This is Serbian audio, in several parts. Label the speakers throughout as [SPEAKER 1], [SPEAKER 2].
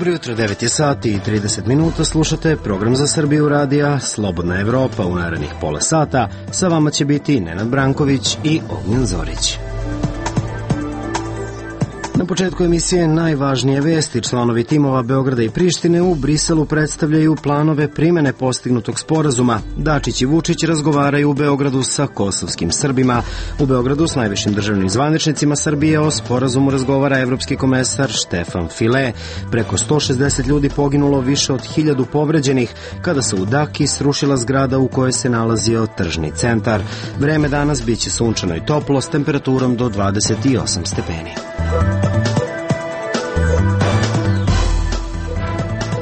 [SPEAKER 1] Dobro jutro, 9 je sati i 30 minuta, slušate program za Srbiju radija Slobodna Evropa. U narednih pola sata sa vama će biti Nenad Branković i Ognjen Zorić. Na početku emisije najvažnije vesti. Članovi timova Beograda i Prištine u Briselu predstavljaju planove primene postignutog sporazuma. Dačić i Vučić razgovaraju u Beogradu sa kosovskim Srbima. U Beogradu s najvišim državnim zvaničnicima Srbije o sporazumu razgovara evropski komesar Štefan File. Preko 160 ljudi poginulo, više od 1000 povređenih kada se u Daki srušila zgrada u kojoj se nalazio tržni centar. Vreme danas biće sunčano i toplo s temperaturom do 28 stepeni.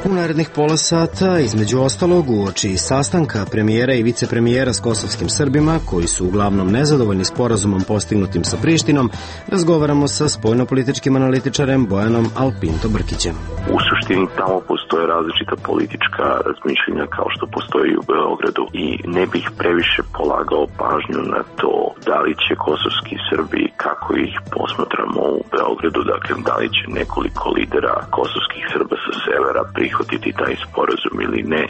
[SPEAKER 1] U narednih pola sata, između ostalog, uoči sastanka premijera i vicepremijera s kosovskim Srbima, koji su uglavnom nezadovoljni sporazumom postignutim sa Prištinom, razgovaramo sa spoljnopolitičkim analitičarem Bojanom Alpinto Brkićem.
[SPEAKER 2] U suštini tamo postoje različita politička razmišljenja kao što postoji u Beogradu i ne bih previše polagao pažnju na to da li će kosovski Srbi, kako ih posmatramo u Beogradu, dakle da li će nekoliko lidera kosovskih Srba sa severa prihvatiti taj sporazum ili ne.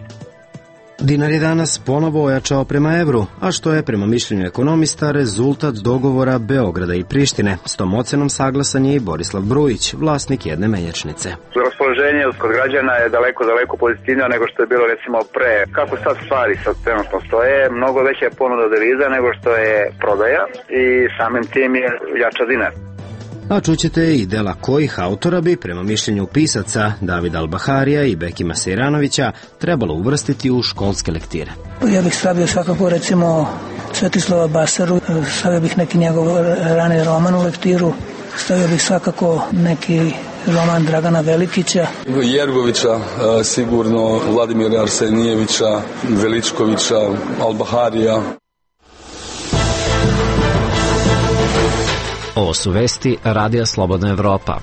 [SPEAKER 1] Dinar je danas ponovo ojačao prema evru, a što je, prema mišljenju ekonomista, rezultat dogovora Beograda i Prištine. S tom ocenom saglasan je i Borislav Brujić, vlasnik jedne menjačnice.
[SPEAKER 3] Raspoloženje kod građana je daleko pozitivnije nego što je bilo recimo pre. Kako sad stvari sad trenutno stoje, mnogo veća je ponuda deviza nego što je prodaja i samim tim je jača dinar.
[SPEAKER 1] A čućete i dela kojih autora bi, prema mišljenju pisaca Davida Albaharija i Bekima Sejranovića, trebalo uvrstiti u školske lektire.
[SPEAKER 4] Ja bih stavio svakako recimo Svetislava Basaru, stavio bih neki njegov rani roman u lektiru, stavio bih svakako neki roman Dragana Velikića.
[SPEAKER 5] Jergovića, sigurno Vladimira Arsenijevića, Veličkovića, Albaharija.
[SPEAKER 6] Ovo su vesti Radija Slobodna Evropa.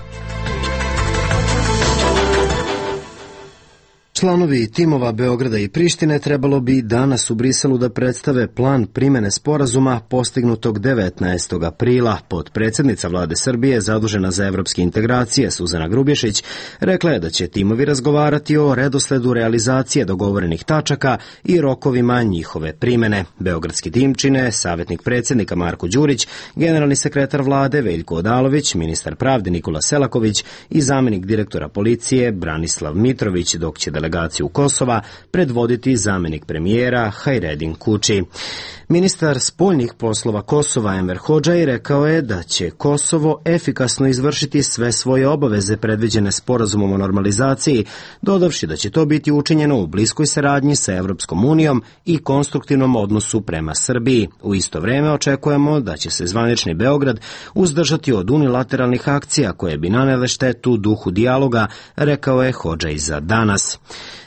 [SPEAKER 1] Članovi timova Beograda i Prištine trebalo bi danas u Briselu da predstave plan primene sporazuma postignutog 19. aprila. Potpredsednica vlade Srbije, zadužena za evropske integracije, Suzana Grubješić, rekla je da će timovi razgovarati o redosledu realizacije dogovorenih tačaka i rokovima njihove primene. Beogradski tim čine savjetnik predsjednika Marko Đurić, generalni sekretar vlade Veljko Odalović, ministar pravde Nikola Selaković i zamenik direktora policije Branislav Mitrović, dok će delegaciju Kosova predvoditi zamenik premijera Hajredin Kuči. Ministar spoljnih poslova Kosova Enver Hodžaj rekao je da će Kosovo efikasno izvršiti sve svoje obaveze predviđene sporazumom o normalizaciji, dodavši da će to biti učinjeno u bliskoj saradnji sa Evropskom unijom i konstruktivnom odnosu prema Srbiji. U isto vreme očekujemo da će se zvanični Beograd uzdržati od unilateralnih akcija koje bi nanele štetu duhu dijaloga, rekao je Hodžaj za danas.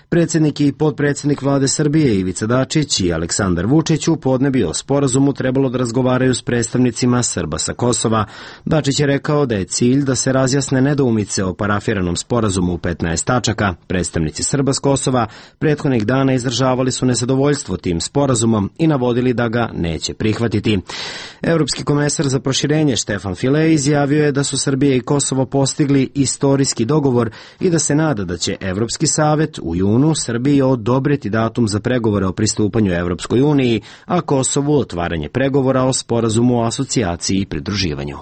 [SPEAKER 1] Predsjednik i potpredsjednik vlade Srbije Ivica Dačić i Aleksandar Vučić u podne bi o sporazumu trebalo da razgovaraju s predstavnicima Srba sa Kosova. Dačić je rekao da je cilj da se razjasne nedoumice o parafiranom sporazumu u 15 tačaka. Predstavnici Srba s Kosova prethodnih dana izražavali su nezadovoljstvo tim sporazumom i navodili da ga neće prihvatiti. Evropski komesar za proširenje Štefan File izjavio je da su Srbija i Kosovo postigli istorijski dogovor i da se nada da će Evropski savet u junu Srbiji odobriti datum za pregovore o pristupanju Evropskoj uniji, a Kosovu otvaranje pregovora o sporazumu o asocijaciji i pridruživanju.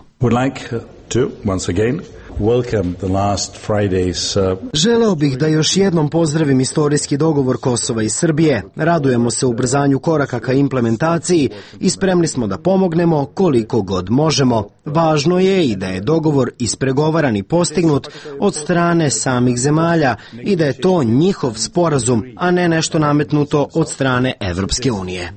[SPEAKER 1] Želeo bih da još jednom pozdravim istorijski dogovor Kosova i Srbije. Radujemo se ubrzanju koraka ka implementaciji i spremni smo da pomognemo koliko god možemo. Važno je i da je dogovor ispregovaran i postignut od strane samih zemalja i da je to njihov sporazum, a ne nešto nametnuto od strane Evropske unije.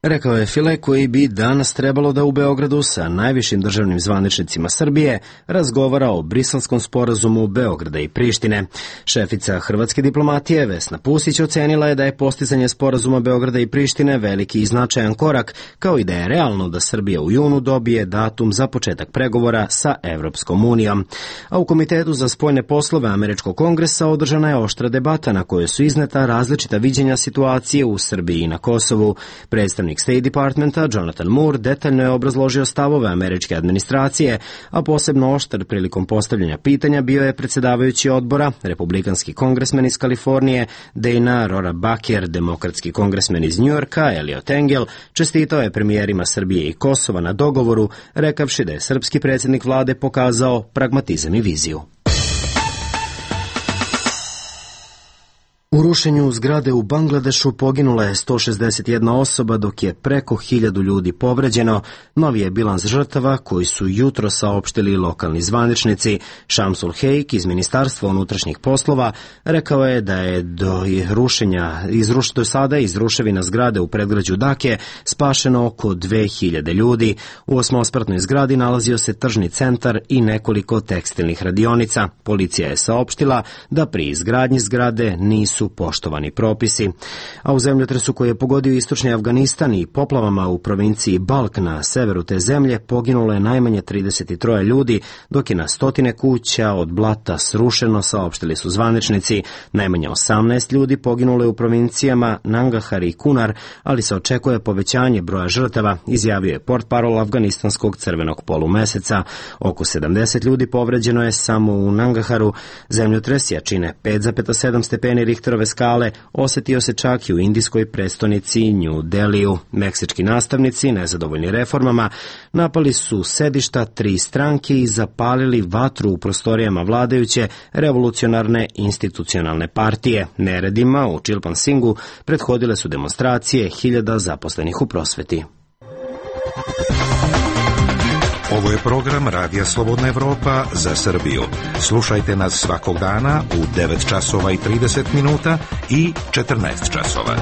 [SPEAKER 1] Rekao je File, koji bi danas trebalo da u Beogradu sa najvišim državnim zvaničnicima Srbije razgovara o briselskom sporazumu Beograda i Prištine. Šefica hrvatske diplomatije Vesna Pusić ocenila je da je postizanje sporazuma Beograda i Prištine veliki i značajan korak, kao i da je realno da Srbija u junu dobije datum za početak pregovora sa Evropskom unijom. A u Komitetu za spoljne poslove Američkog kongresa održana je oštra debata na kojoj su izneta različita viđenja situacije u Srbiji i na Kosovu. Predstavnik službenik State Departmenta Jonathan Moore detaljno je obrazložio stavove američke administracije, a posebno oštar prilikom postavljanja pitanja bio je predsjedavajući odbora, republikanski kongresmen iz Kalifornije Dana Rohrabacher, demokratski kongresmen iz Njujorka Eliot Engel, čestitao je premijerima Srbije i Kosova na dogovoru, rekavši da je srpski predsjednik vlade pokazao pragmatizam i viziju. U rušenju zgrade u Bangladešu poginula je 161 osoba, dok je preko 1000 ljudi povređeno. Novi je bilans žrtava koji su jutro saopštili lokalni zvaničnici. Shamsul Haque iz Ministarstva unutrašnjih poslova rekao je da je do sada iz ruševina zgrade u predgrađu Dake spašeno oko 2000 ljudi. U osmospratnoj zgradi nalazio se tržni centar i nekoliko tekstilnih radionica. Policija je saopštila da pri izgradnji zgrade nisu poštovani propisi. A u zemljotresu koji je pogodio istočni Afganistan i poplavama u provinciji Balk na severu te zemlje poginulo je najmanje 33 ljudi, dok je na stotine kuća od blata srušeno, saopštili su zvaničnici. Najmanje 18 ljudi poginulo je u provincijama Nangarhar i Kunar, ali se očekuje povećanje broja žrtava, izjavio je portparol Afganistanskog crvenog polumeseca. Oko 70 ljudi povređeno je samo u Nangarharu. Zemljotres jačine 5,7 stepeni Richterove skale osjetio se čak i u indijskoj prestonici New Delhiju. Meksički nastavnici, nezadovoljni reformama, napali su sedišta 3 stranke i zapalili vatru u prostorijama vladajuće revolucionarne institucionalne partije. Neredima u Chilpansingu prethodile su demonstracije 1000 zaposlenih u prosveti.
[SPEAKER 7] Ovo je program Radija Slobodna Evropa za Srbiju. Slušajte nas svakog dana u 9 časova i 30 minuta i 14 časova.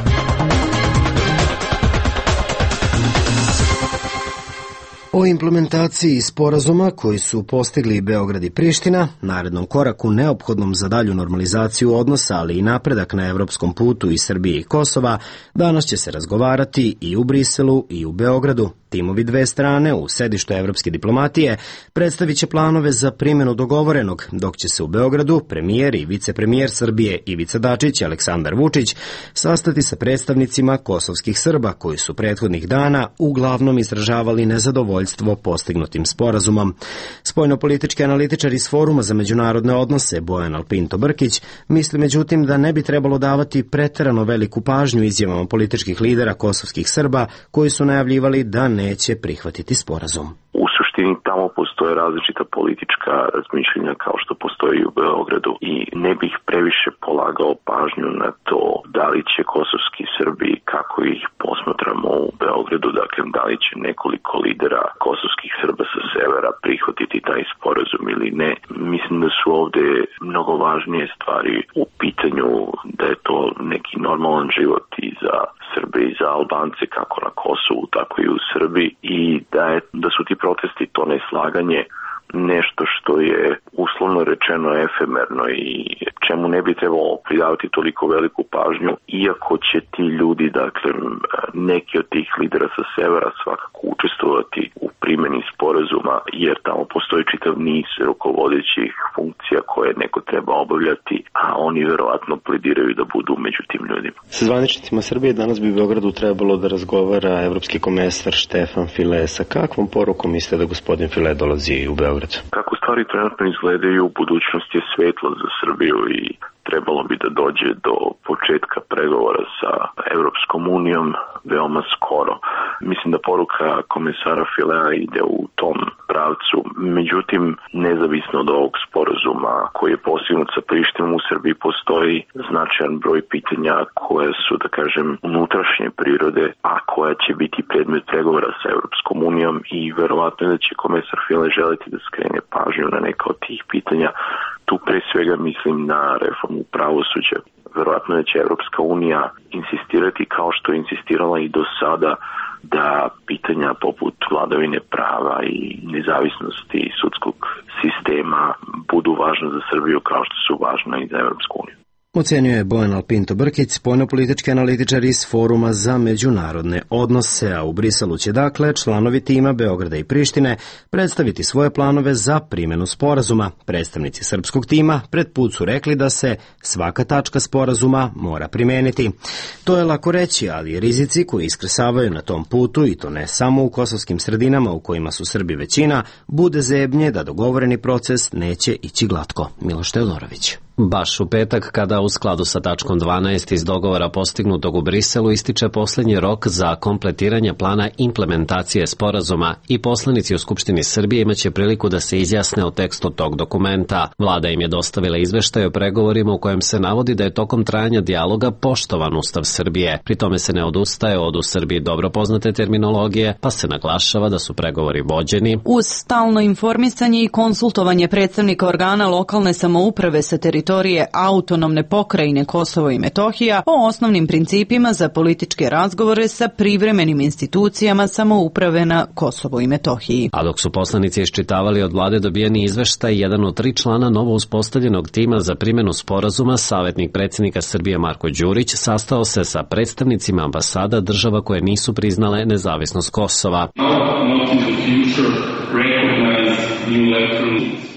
[SPEAKER 1] O implementaciji sporazuma koji su postigli Beograd i Priština, narednom koraku neophodnom za dalju normalizaciju odnosa, ali i napredak na evropskom putu i Srbije i Kosova, danas će se razgovarati i u Briselu i u Beogradu. Timovi dve strane u sedištu evropske diplomatije predstavit će planove za primjenu dogovorenog, dok će se u Beogradu premijer i vicepremijer Srbije Ivica Dačić i Aleksandar Vučić sastati sa predstavnicima kosovskih Srba koji su prethodnih dana uglavnom izražavali nezadovoljstvo postignutim sporazumom. Spoljnopolitički analitičar iz Foruma za međunarodne odnose Bojan Alpinto Brkić misli međutim da ne bi trebalo davati preterano veliku pažnju izjavama političkih lidera kosovskih Srba koji su najavljivali da neće prihvatiti sporazum.
[SPEAKER 2] U suštini tamo postoje različita politička razmišljenja kao što postoji i u Beogradu i ne bih previše polagao pažnju na to da li će kosovski Srbi, kako ih posmatramo u Beogradu, dakle da li će nekoliko lidera kosovskih Srba sa severa prihvatiti taj sporazum ili ne. Mislim da su ovde mnogo važnije stvari u pitanju, da je to neki normalan život i za Srbe i za Albance kako na Kosovu, tako i u Srbiji i da su ti protesti, to neslaganje, nešto što je uslovno rečeno efemerno i čemu ne bi trebalo pridavati toliko veliku pažnju, iako će ti ljudi, dakle, neki od tih lidera sa severa svakako učestvovati u primjeni sporazuma, jer tamo postoji čitav niz rukovodećih funkcija koje neko treba obavljati, a oni verovatno plediraju da budu među tim ljudima.
[SPEAKER 1] Sa zvaničnicima Srbije danas bi u Beogradu trebalo da razgovara evropski komesar Štefan File. Sa kakvom porukom mislite da gospodin File dolazi u Beograd?
[SPEAKER 2] Kako stvari trenutno izgledaju, budućnost je svetla za Srbiju i trebalo bi da dođe do početka pregovora sa Evropskom unijom veoma skoro. Mislim da poruka komesara Filea ide u tom pravcu. Međutim, nezavisno od ovog sporazuma koji je postignut sa Prištinom, u Srbiji postoji značajan broj pitanja koje su, da kažem, unutrašnje prirode, a koja će biti predmet pregovora sa Evropskom unijom i verovatno da će komesar File želiti da skrene pažnju na neka od tih pitanja. Tu pre svega mislim na reformu pravosuđa. Verovatno da će Evropska unija insistirati kao što je insistirala i do sada da pitanja poput vladavine prava i nezavisnosti sudskog sistema budu važna za Srbiju kao što su važna i za Evropsku uniju.
[SPEAKER 1] Ocenio je Bojan Alpinto Brkić, spoljnopolitički analitičar iz Foruma za međunarodne odnose, a u Briselu će dakle članovi tima Beograda i Prištine predstaviti svoje planove za primjenu sporazuma. Predstavnici srpskog tima pred put su rekli da se svaka tačka sporazuma mora primeniti. To je lako reći, ali rizici koji iskresavaju na tom putu, i to ne samo u kosovskim sredinama u kojima su Srbi većina, bude zebnje da dogovoreni proces neće ići glatko. Miloš Teodorović.
[SPEAKER 6] Baš u petak, kada u skladu sa tačkom 12 iz dogovora postignutog u Briselu ističe posljednji rok za kompletiranje plana implementacije sporazuma i poslanici u Skupštini Srbije imaće priliku da se izjasne o tekstu tog dokumenta. Vlada im je dostavila izveštaj o pregovorima u kojem se navodi da je tokom trajanja dijaloga poštovan Ustav Srbije. Pri tome se ne odustaje od u Srbiji dobro poznate terminologije, pa se naglašava da su pregovori vođeni
[SPEAKER 8] uz stalno informisanje i konsultovanje predstavnika organa lokalne samouprave sa teritorije autonomne pokrajine Kosovo i Metohija o osnovnim principima za političke razgovore sa privremenim institucijama samouprave na Kosovo i Metohiji.
[SPEAKER 6] A dok su poslanici iščitavali od vlade dobijeni izveštaj, jedan od 3 člana novo uspostavljenog tima za primjenu sporazuma, savjetnik predsjednika Srbije Marko Đurić, sastao se sa predstavnicima ambasada država koje nisu priznale nezavisnost Kosova.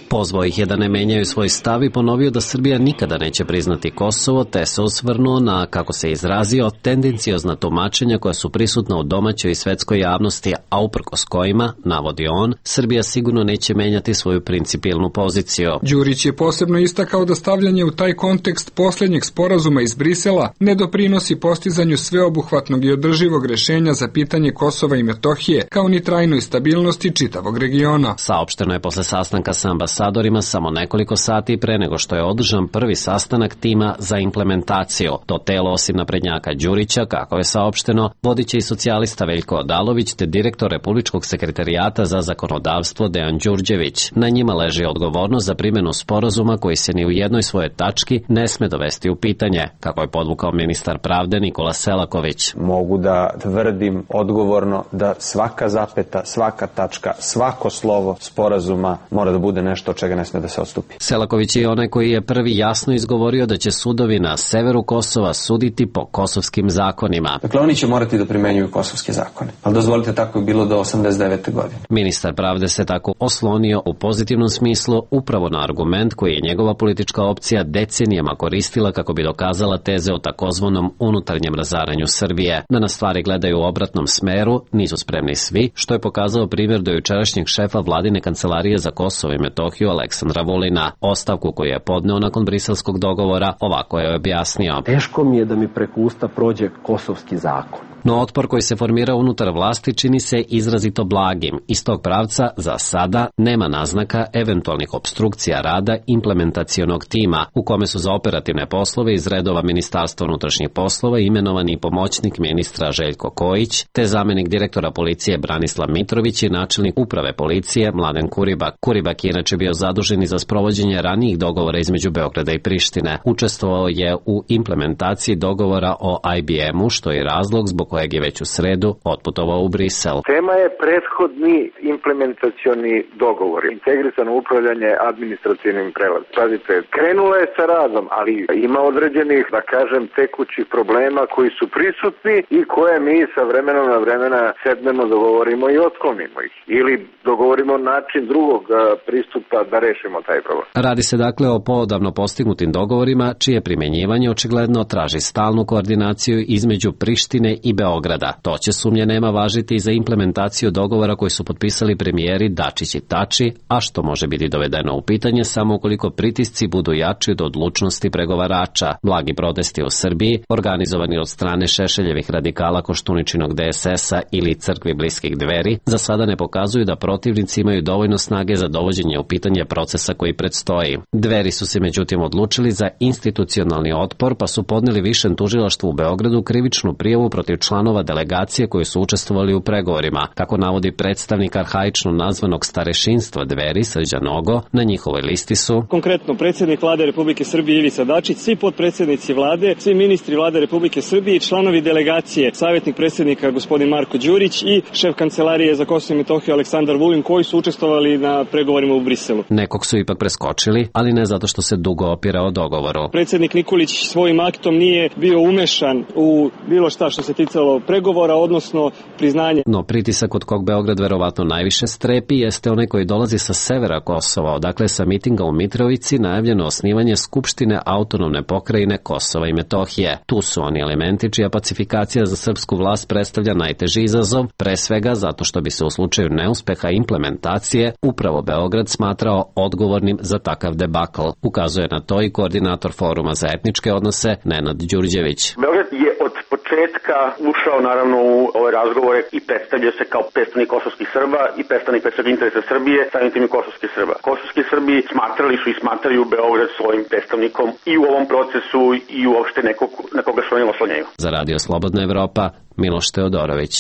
[SPEAKER 6] Pozvao ih je da ne menjaju svoj stav i ponovio da Srbija nikada neće priznati Kosovo, te se osvrnuo na, kako se izrazio, tendenciozna tumačenja koja su prisutna u domaćoj i svetskoj javnosti, a uprkos kojima, navodi on, Srbija sigurno neće menjati svoju principijelnu poziciju.
[SPEAKER 9] Đurić je posebno istakao da stavljanje u taj kontekst posljednjeg sporazuma iz Brisela ne doprinosi postizanju sveobuhvatnog i održivog rješenja za pitanje Kosova i Metohije, kao ni trajnoj stabilnosti čitavog regiona.
[SPEAKER 6] Saopšteno je posle sastanka sa ambasadorima samo nekoliko sati pre nego što je održan prvi sastanak tima za implementaciju. To telo, osim naprednjaka Đurića, kako je saopšteno, vodiće i socijalista Veljko Odalović te direktor Republičkog sekretarijata za zakonodavstvo Dejan Đurđević. Na njima leži odgovornost za primjenu sporazuma koji se ni u jednoj svojoj tački ne sme dovesti u pitanje, kako je podvukao ministar pravde Nikola Selaković.
[SPEAKER 10] Mogu da tvrdim odgovorno da svaka zapeta, svaka tačka, svako slovo sporazuma mora da bude nešto od čega ne sme da se odstupi.
[SPEAKER 6] Selaković je onaj koji je prvi jasno izgovorio da će sudovi na severu Kosova suditi po kosovskim zakonima.
[SPEAKER 10] Dakle, oni će morati da primenjuju kosovske zakone. Ali dozvolite, tako je bilo do 89. godine.
[SPEAKER 6] Ministar pravde se tako oslonio u pozitivnom smislu upravo na argument koji je njegova politička opcija decenijama koristila kako bi dokazala teze o takozvanom unutarnjem razaranju Srbije. Da na stvari gledaju u obratnom smeru nisu spremni svi, što je pokazao primjer do jučerašnjeg šefa vladine kancelarije za Kosovo i Metohiju Aleksandra Vulina. Ostavku koju je podneo nakon briselskog dogovora ovako je objasnio.
[SPEAKER 11] Teško mi je da mi preko usta prođe kosovski zakon.
[SPEAKER 6] No otpor koji se formira unutar vlasti čini se izrazito blagim. Iz tog pravca za sada nema naznaka eventualnih opstrukcija rada implementacionog tima, u kome su za operativne poslove iz redova Ministarstva unutrašnjih poslova imenovani pomoćnik ministra Željko Kojić, te zamenik direktora policije Branislav Mitrović i načelnik uprave policije Mladen Kuribak. Kuribak je inače bio zadužen i za sprovođenje ranijih dogovora između Beograda i Prištine. Učestvovao je u implementaciji dogovora o IBM-u, što je razlog zbog kojeg je već u sredu otputovao u Brisel.
[SPEAKER 3] Tema je prethodni implementacioni dogovor, integrisano upravljanje administrativnim prelazom. Pazite, krenulo je sa radom, ali ima određenih, da kažem, tekućih problema koji su prisutni i koje mi sa vremenom na vremena sednemo, dogovorimo i otklonimo ih. Ili dogovorimo način drugog pristupa da rešimo taj problem.
[SPEAKER 6] Radi se dakle o poodavno postignutim dogovorima, čije primjenjivanje očigledno traži stalnu koordinaciju između Prištine i Beograda. To će, sumnje nema, važiti i za implementaciju dogovora koji su potpisali premijeri Dačić i Tači, a što može biti dovedeno u pitanje samo ukoliko pritisci budu jači od odlučnosti pregovarača. Blagi protesti u Srbiji, organizovani od strane Šešeljevih radikala Koštuničinog DSS-a ili crkvi bliskih Dveri, za sada ne pokazuju da protivnici imaju dovoljno snage za dovođenje u pitanje procesa koji predstoji. Dveri su se međutim odlučili za institucionalni otpor, pa su podneli Višem tužilaštvu u Beogradu krivičnu prijavu protiv članova delegacije koji su učestvovali u pregovorima, kako navodi predstavnik arhaično nazvanog starešinstva Dveri Srđan Nogo. Na njihovoj listi su
[SPEAKER 12] konkretno predsjednik Vlade Republike Srbije Ivica Dačić, svi potpredsjednici Vlade, svi ministri Vlade Republike Srbije i članovi delegacije, savjetnik predsjednika gospodin Marko Đurić i šef kancelarije za Kosovo i Metohiju Aleksandar Vulin, koji su učestvovali na pregovorima u Briselu.
[SPEAKER 6] Nekog su ipak preskočili, ali ne zato što se dugo opirao dogovoru.
[SPEAKER 12] Predsjednik Nikolić svojim aktom nije bio umešan u bilo šta što se ticalo pregovora, odnosno priznanje.
[SPEAKER 6] No pritisak od kog Beograd verovatno najviše strepi jeste onaj koji dolazi sa severa Kosova, odakle sa mitinga u Mitrovici najavljeno osnivanje Skupštine autonomne pokrajine Kosova i Metohije. Tu su oni elementi čija pacifikacija za srpsku vlast predstavlja najteži izazov, pre svega zato što bi se u slučaju neuspeha implementacije upravo Beograd smatrao odgovornim za takav debakl. Ukazuje na to i koordinator Foruma za etničke odnose Nenad Đurđević.
[SPEAKER 13] Beograd je od početka ušao naravno u ove razgovore i predstavlja se kao predstavnik kosovskih Srba i predstavnik interesa Srbije, samim tim i kosovskih Srba. Kosovski Srbi smatrali su i smatraju Beograd svojim predstavnikom i u ovom procesu i uopšte nekog na koga se oni oslanjaju.
[SPEAKER 6] Za Radio Slobodna Evropa, Miloš Teodorović.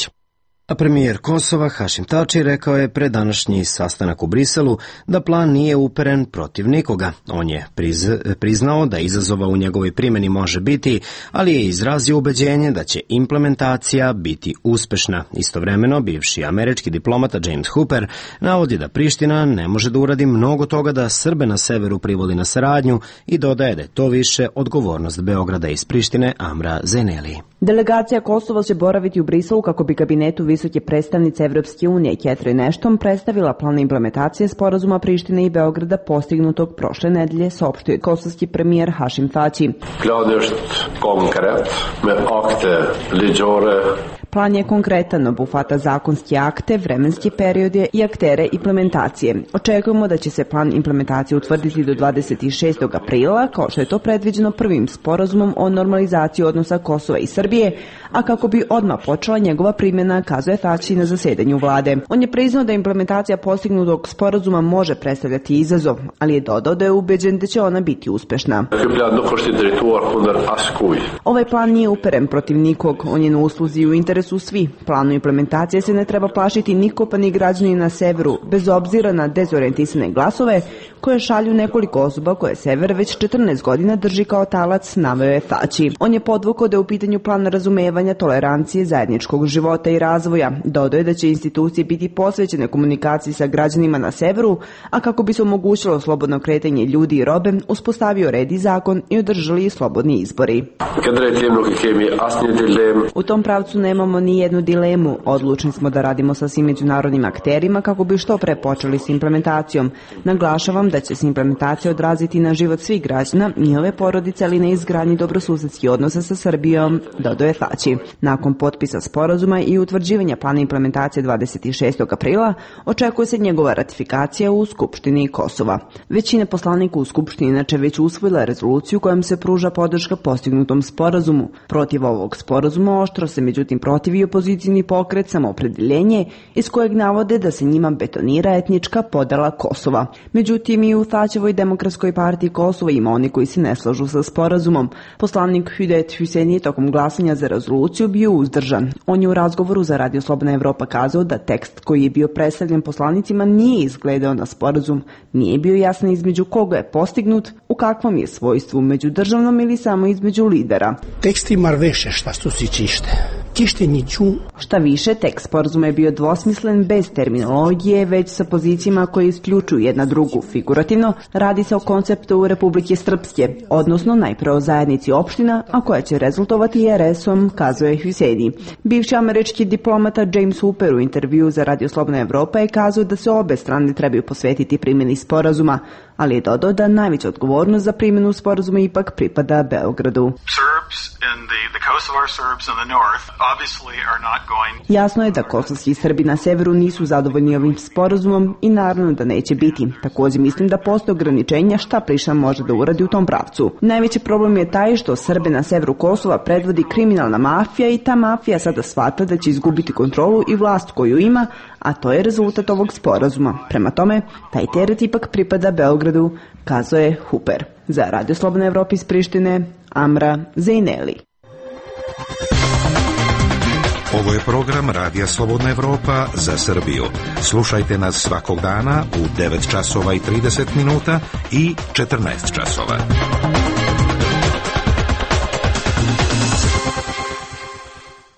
[SPEAKER 1] A premijer Kosova Hašim Tači rekao je pred današnji sastanak u Briselu da plan nije uperen protiv nikoga. On je priznao da izazova u njegovoj primjeni može biti, ali je izrazio ubeđenje da će implementacija biti uspešna. Istovremeno, bivši američki diplomata James Hooper navodi da Priština ne može da uradi mnogo toga da Srbe na severu privoli na saradnju i dodaje da je to više odgovornost Beograda iz Prištine. Amra Zeneli.
[SPEAKER 14] Delegacija Kosova će boraviti u Briselu kako bi kabinetu visoke predstavnice Evropske unije Catherine Ashton predstavila plan implementacije sporazuma Prištine i Beograda postignutog prošle nedelje, saopštio kosovski premijer Hašim Tači. Plan je konkretan, obuhvata zakonske akte, vremenske periode i aktere implementacije. Očekujemo da će se plan implementacije utvrditi do 26. aprila, kao što je to predviđeno prvim sporazumom o normalizaciji odnosa Kosova i Srbije, a kako bi odmah počela njegova primjena, kazuje Tači na zasedanju vlade. On je priznao da implementacija postignutog sporazuma može predstavljati izazov, ali je dodao da je ubeđen da će ona biti uspešna. Ovaj plan nije uperen protiv nikog, on je na usluzi i u interesu svi. Planu implementacije se ne treba plašiti niko, pa ni građani na severu, bez obzira na dezorijentisane glasove koje šalju nekoliko osoba koje sever već 14 godina drži kao talac, naveo je Tači. On je podvukao da je u pitanju plan razumevanja, tolerancije, zajedničkog života i razvoja. Dodao je da će institucije biti posvećene komunikaciji sa građanima na severu, a kako bi se omogućilo slobodno kretanje ljudi i robe, uspostavio red i zakon i održali slobodni izbori. U tom pravcu nemamo ni jednu dilemu. Odlučni smo da radimo sa svim međunarodnim akterima kako bi što pre počeli s implementacijom. Naglašavam da će se implementacija odraziti na život svih građana, njihove porodice, ali na izgradnji dobrosusedskih odnosa sa Srbijom, dodao je Tači. Nakon potpisa sporazuma i utvrđivanja plana implementacije 26. aprila, očekuje se njegova ratifikacija u Skupštini Kosova. Većina poslanika u Skupštini inače već usvojila rezoluciju kojom se pruža podrška postignutom sporazumu. Protiv ovog sporazuma oštro se međutim protivi opozicijni pokret Samoopredeljenje, iz kojeg navode da se njima betonira etnička podela Kosova. Međutim, i u Tačevoj demokratskoj partiji Kosova ima oni koji se ne slažu sa sporazumom. Poslanik Hüdet Hüseyin je tokom glasanja za rezoluciju bio uzdržan. On je u razgovoru za Radio Slobodna Evropa kazao da tekst koji je bio predstavljen poslanicima nije izgledao na sporazum, nije bio jasan između koga je postignut, u kakvom je svojstvu, međudržavnom ili samo između lidera.
[SPEAKER 15] Tekst ima više šta su si čište.
[SPEAKER 14] Šta više, tekst sporazuma je bio dvosmislen, bez terminologije, već sa pozicijama koje isključuju jedna drugu. Figurativno, radi se o konceptu Republike Srpske, odnosno najpre o zajednici opština, a koja će rezultovati RS-om, kazuje Hüseyin. Bivši američki diplomata James Hooper u intervju za Radio Slobodna Evropa je kazao da se obe strane trebaju posvetiti primjeni sporazuma, ali je dodao da najveća odgovornost za primjenu sporazuma ipak pripada Beogradu. Jasno je da kosovski Srbi na severu nisu zadovoljni ovim sporazumom i naravno da neće biti. Također mislim da postoje ograničenja šta Priština može da uradi u tom pravcu. Najveći problem je taj što Srbe na severu Kosova predvodi kriminalna mafija i ta mafija sada shvata da će izgubiti kontrolu i vlast koju ima, a to je rezultat ovog sporazuma. Prema tome, taj teret ipak pripada Beogradu, kazao je Hooper. Za Radio Slobodna Evropa iz Prištine, Amra Zeneli.
[SPEAKER 7] Ovo je program Radija Slobodna Evropa za Srbiju. Slušajte nas svakog dana u 9 časova i 30 minuta i 14 časova.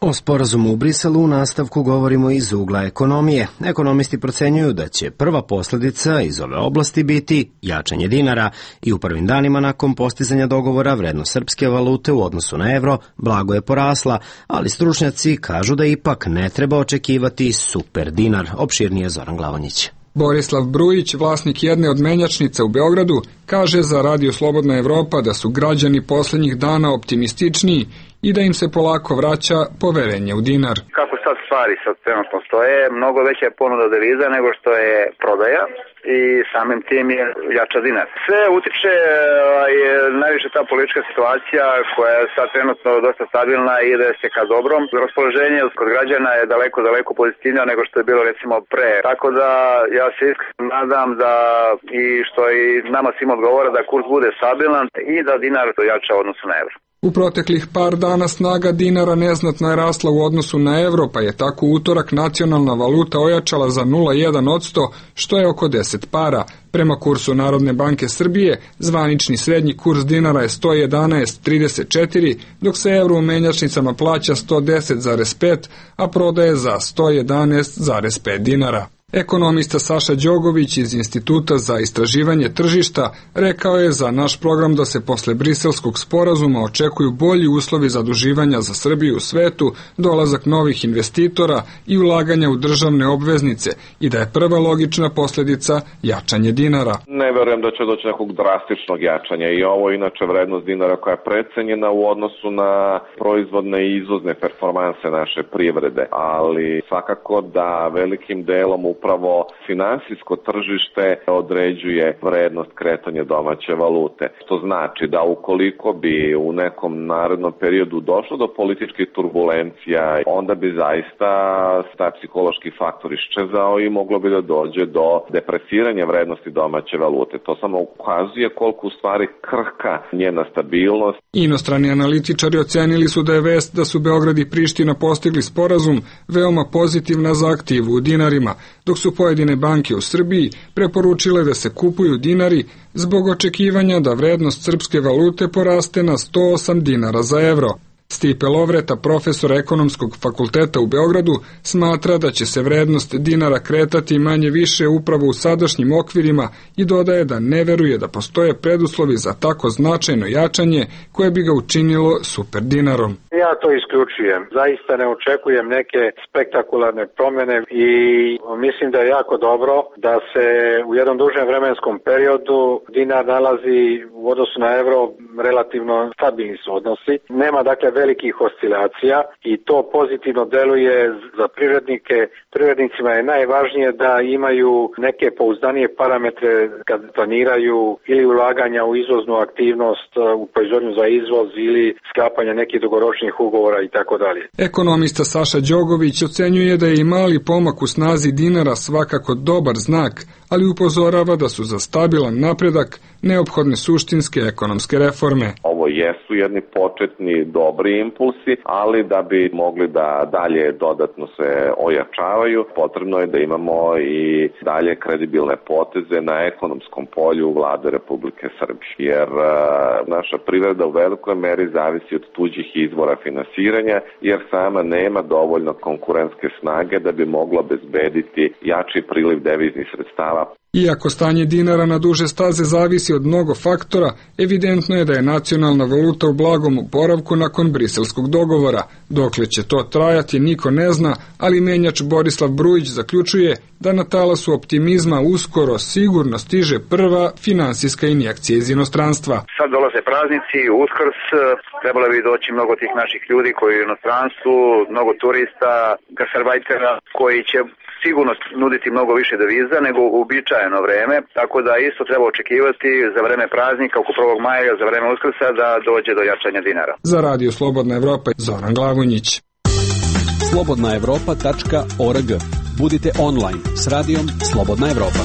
[SPEAKER 1] O sporazumu u Briselu u nastavku govorimo iz ugla ekonomije. Ekonomisti procenjuju da će prva posljedica iz ove oblasti biti jačanje dinara i u prvim danima nakon postizanja dogovora vrednost srpske valute u odnosu na evro blago je porasla, ali stručnjaci kažu da ipak ne treba očekivati super dinar. Opširnije Zoran Glavonjić.
[SPEAKER 9] Borislav Brujić, vlasnik jedne od menjačnica u Beogradu, kaže za Radio Slobodna Evropa da su građani poslednjih dana optimističniji i da im se polako vraća poverenje u dinar.
[SPEAKER 3] Kako sad stvari sad trenutno stoje, mnogo veća je ponuda deviza nego što je prodaja i samim tim je jača dinar. Sve utiče najviše ta politička situacija koja je sad trenutno dosta stabilna i ide se ka dobrom. Raspoloženje kod građana je daleko pozitivnije nego što je bilo recimo pre. Tako da ja se iskreno nadam da i što i nama svima odgovara da kurs bude stabilan i da dinar jača u odnosu na evro.
[SPEAKER 9] U proteklih par dana snaga dinara neznatno je rasla u odnosu na evro, pa je tako u utorak nacionalna valuta ojačala za 0,1%, što je oko 10 para. Prema kursu Narodne banke Srbije, zvanični srednji kurs dinara je 111,34, dok se evro u menjačnicama plaća 110,5, a prodaje za 111,5 dinara. Ekonomista Saša Đogović iz Instituta za istraživanje tržišta rekao je za naš program da se posle briselskog sporazuma očekuju bolji uslovi zaduživanja za Srbiju u svetu, dolazak novih investitora i ulaganja u državne obveznice i da je prva logična posljedica jačanje dinara.
[SPEAKER 16] Ne verujem da će doći nekog drastičnog jačanja i ovo je inače vrednost dinara koja je precenjena u odnosu na proizvodne i izvozne performanse naše privrede, ali svakako da velikim delom upravo finansijsko tržište određuje vrednost kretanja domaće valute. To znači da ukoliko bi u nekom narednom periodu došlo do političkih turbulencija, onda bi zaista taj psihološki faktor iščezao i moglo bi da dođe do depresiranja vrednosti domaće valute. To samo ukazuje koliko u stvari krhka njena stabilnost.
[SPEAKER 9] Inostrani analitičari ocenili su da je vest da su Beograd i Priština postigli sporazum veoma pozitivna za aktivu u dinarima, dok su pojedine banke u Srbiji preporučile da se kupuju dinari zbog očekivanja da vrednost srpske valute poraste na 108 dinara za evro. Stipe Lovreta, profesor ekonomskog fakulteta u Beogradu, smatra da će se vrednost dinara kretati manje više upravo u sadašnjim okvirima i dodaje da ne veruje da postoje preduslovi za tako značajno jačanje koje bi ga učinilo super dinarom.
[SPEAKER 17] Ja to isključujem. Zaista ne očekujem neke spektakularne promjene i mislim da je jako dobro da se u jednom dužem vremenskom periodu dinar nalazi u odnosu na evro relativno stabilni su odnosi. Nema dakle velikih oscilacija i to pozitivno deluje za privrednike. Privrednicima je najvažnije da imaju neke pouzdanije parametre kad planiraju ili ulaganja u izvoznu aktivnost, u proizvodnju za izvoz ili sklapanja nekih dugoročnih ugovora i tako dalje.
[SPEAKER 9] Ekonomista Saša Đogović ocenjuje da je i mali pomak u snazi dinara svakako dobar znak, ali upozorava da su za stabilan napredak neophodne suštinske ekonomske reforme.
[SPEAKER 16] Ovo jesu jedni početni dobri impulsi, ali da bi mogli da dalje dodatno se ojačavaju, potrebno je da imamo i dalje kredibilne poteze na ekonomskom polju Vlade Republike Srbije, jer naša privreda u velikoj meri zavisi od tuđih izvora finansiranja, jer sama nema dovoljno konkurentske snage da bi mogla obezbediti jači priliv deviznih sredstava.
[SPEAKER 9] Iako stanje dinara na duže staze zavisi od mnogo faktora, evidentno je da je nacionalna valuta u blagom oporavku nakon briselskog dogovora. Dokle će to trajati, niko ne zna, ali menjač Borislav Brujić zaključuje da na talasu optimizma uskoro sigurno stiže prva finansijska injekcija iz inostranstva.
[SPEAKER 3] Sad dolaze praznici, Uskrs, trebalo bi doći mnogo tih naših ljudi koji u inostranstvu, mnogo turista, gasarbajtera koji će sigurno nuditi mnogo više deviza nego u uobičajeno vreme, tako da isto treba očekivati za vreme praznika oko 1. maja, za vreme Uskrsa da dođe do jačanja dinara.
[SPEAKER 9] Za Radio Slobodna Evropa, Zoran Glavonjić.
[SPEAKER 18] slobodnaevropa.org. Budite online s radijom Slobodna Evropa.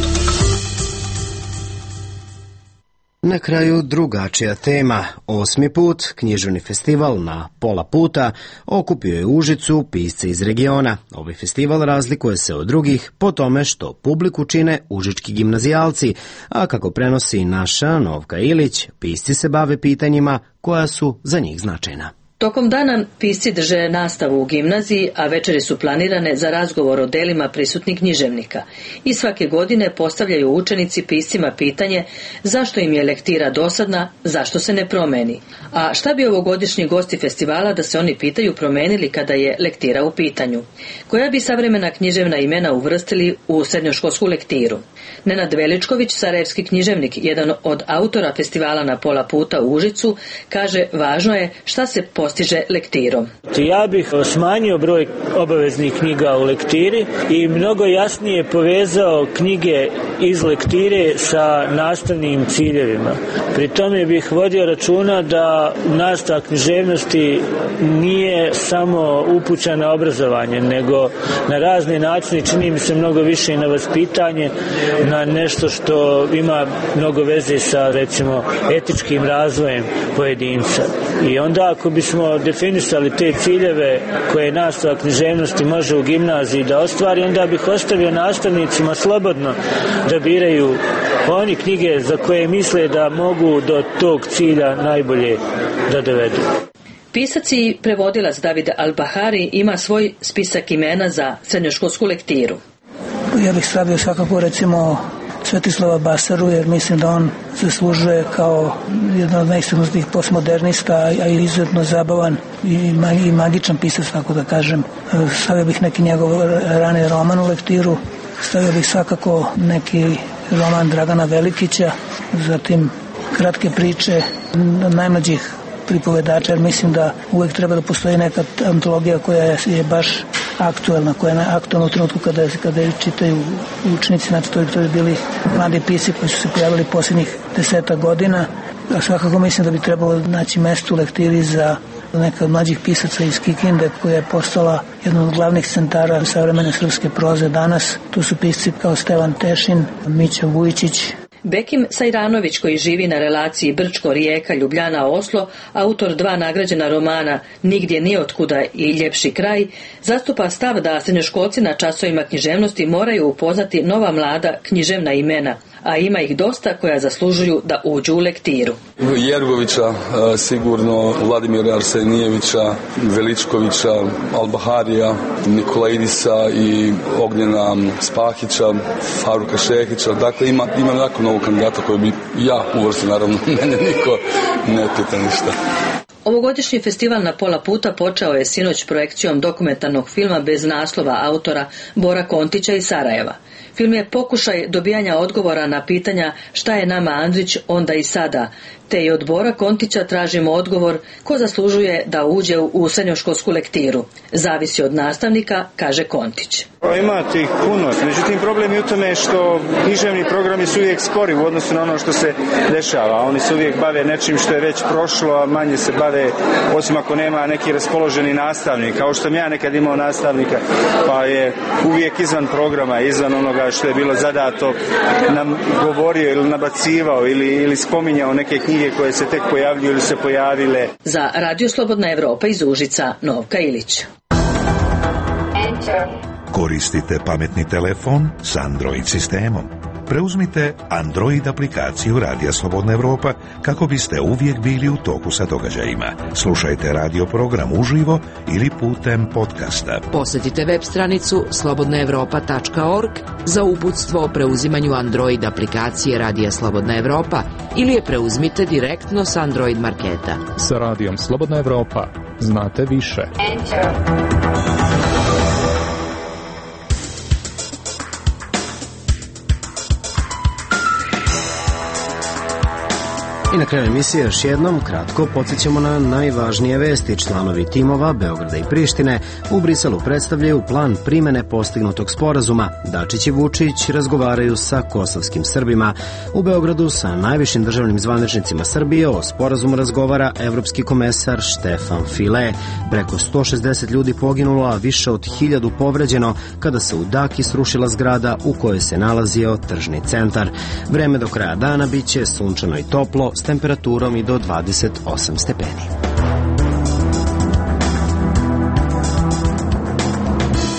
[SPEAKER 1] Na kraju drugačija tema. 8. put književni festival na pola puta okupio je u Užicu pisce iz regiona. Ovaj festival razlikuje se od drugih po tome što publiku čine užički gimnazijalci, a kako prenosi naša Novka Ilić, pisci se bave pitanjima koja su za njih značajna.
[SPEAKER 19] Tokom dana pisci drže nastavu u gimnaziji, a večeri su planirane za razgovor o delima prisutnih književnika. I svake godine postavljaju učenici piscima pitanje zašto im je lektira dosadna, zašto se ne promeni. A šta bi ovogodišnji gosti festivala da se oni pitaju promenili kada je lektira u pitanju? Koja bi savremena književna imena uvrstili u srednjoškolsku lektiru? Nenad Veličković, sarajevski književnik, jedan od autora festivala na pola puta u Užicu, kaže važno je šta se postiže lektirom.
[SPEAKER 20] Ja bih smanjio broj obaveznih knjiga u lektiri i mnogo jasnije povezao knjige iz lektire sa nastavnim ciljevima. Pri tome bih vodio računa da nastava književnosti nije samo upućena na obrazovanje, nego na razne načine, čini mi se mnogo više i na vaspitanje, na nešto što ima mnogo veze sa, recimo, etičkim razvojem pojedinca. I onda ako bismo definisali te ciljeve koje nastava književnosti može u gimnaziji da ostvari, onda bih ostavio nastavnicima slobodno da biraju oni knjige za koje misle da mogu do tog cilja najbolje da dovedu.
[SPEAKER 19] Pisac i prevodilac David Al-Bahari ima svoj spisak imena za srednjoškolsku lektiru.
[SPEAKER 4] Ja bih stavio svakako recimo Svetislava Basaru, jer mislim da on zaslužuje kao jedan od najistaknutijih postmodernista, a i izuzetno zabavan i magičan pisac, tako da kažem. Stavio bih neki njegov rani roman u lektiru, stavio bih svakako neki roman Dragana Velikića, zatim kratke priče najmlađih pripovedača, jer mislim da uvek treba da postoji neka antologija koja je baš aktuelna, koja je aktuelna u trenutku kada je čitaju učenici, znači to bi bili mladi pisci koji su se pojavili posljednjih 10 godina. A svakako mislim da bi trebalo naći mesto u lektiri za neka od mlađih pisaca iz Kikinde, koja je postala jedan od glavnih centara savremene srpske proze danas. Tu su pisci kao Stevan Tešin, Mića Vujičić.
[SPEAKER 19] Bekim Sajranović, koji živi na relaciji Brčko, Ljubljana, Oslo, autor 2 nagrađena romana Nigdje ni otkuda i Ljepši kraj, zastupa stav da srednjoškolci na časovima književnosti moraju upoznati nova mlada književna imena, a ima ih dosta koja zaslužuju da uđu u lektiru.
[SPEAKER 5] Jergovića, sigurno Vladimira Arsenijevića, Veličkovića, Al-Baharija, Nikolaidisa i Ognjena Spahića, Faruka Šehića. Dakle, imam jako novog kandidata koji bi ja uvrstio, naravno, mene niko ne pita ništa.
[SPEAKER 19] Ovogodišnji festival na pola puta počeo je sinoć projekcijom dokumentarnog filma bez naslova autora Bora Kontića iz Sarajeva. Film je pokušaj dobijanja odgovora na pitanja šta je nama Andrić onda i sada, te i od Bora Kontića tražimo odgovor ko zaslužuje da uđe u srednjoškolsku lektiru. Zavisi od nastavnika, kaže Kontić.
[SPEAKER 21] Ima tih puno, međutim problem je u tome što književni programi su uvijek spori u odnosu na ono što se dešava. Oni se uvijek bave nečim što je već prošlo, a manje se bave, osim ako nema neki raspoloženi nastavnik, kao što sam ja nekad imao nastavnika, pa je uvijek izvan programa, izvan onoga što je bilo zadato, nam govorio ili nabacivao ili spominjao neke knjige koje se tek pojavljuju ili se pojavile.
[SPEAKER 19] Za Radio Slobodna Evropa iz Užica, Novka Ilić.
[SPEAKER 7] Koristite pametni telefon s Android sistemom. Preuzmite Android aplikaciju Radija Slobodna Evropa kako biste uvijek bili u toku sa događajima. Slušajte radio program uživo ili putem podcasta.
[SPEAKER 22] Posjetite web stranicu slobodnaevropa.org za uputstvo o preuzimanju Android aplikacije Radija Slobodna Evropa ili je preuzmite direktno s Android marketa.
[SPEAKER 23] Sa Radijom Slobodna Evropa znate više.
[SPEAKER 1] I na kraju emisije još jednom kratko podsjećamo na najvažnije vesti. Članovi timova Beograda i Prištine u Briselu predstavljaju plan primene postignutog sporazuma. Dačić i Vučić razgovaraju sa kosovskim Srbima. U Beogradu sa najvišim državnim zvaničnicima Srbije o sporazumu razgovara evropski komesar Štefan File. Preko 160 ljudi poginulo, a više od 1000 povređeno kada se u Daki srušila zgrada u kojoj se nalazio tržni centar. Vreme do kraja dana biće sunčano i toplo s temperaturom i do 28 stepeni.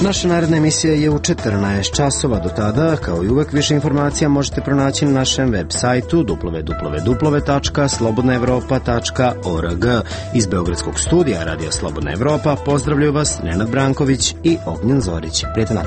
[SPEAKER 1] Naša naredna emisija je u 14 časova. Do tada, kao i uvek, više informacija možete pronaći na našem web sajtu www.slobodnaevropa.org. Iz Beogradskog studija Radija Slobodna Evropa pozdravljaju vas Nenad Branković i Ognjen Zorić. Prijatno.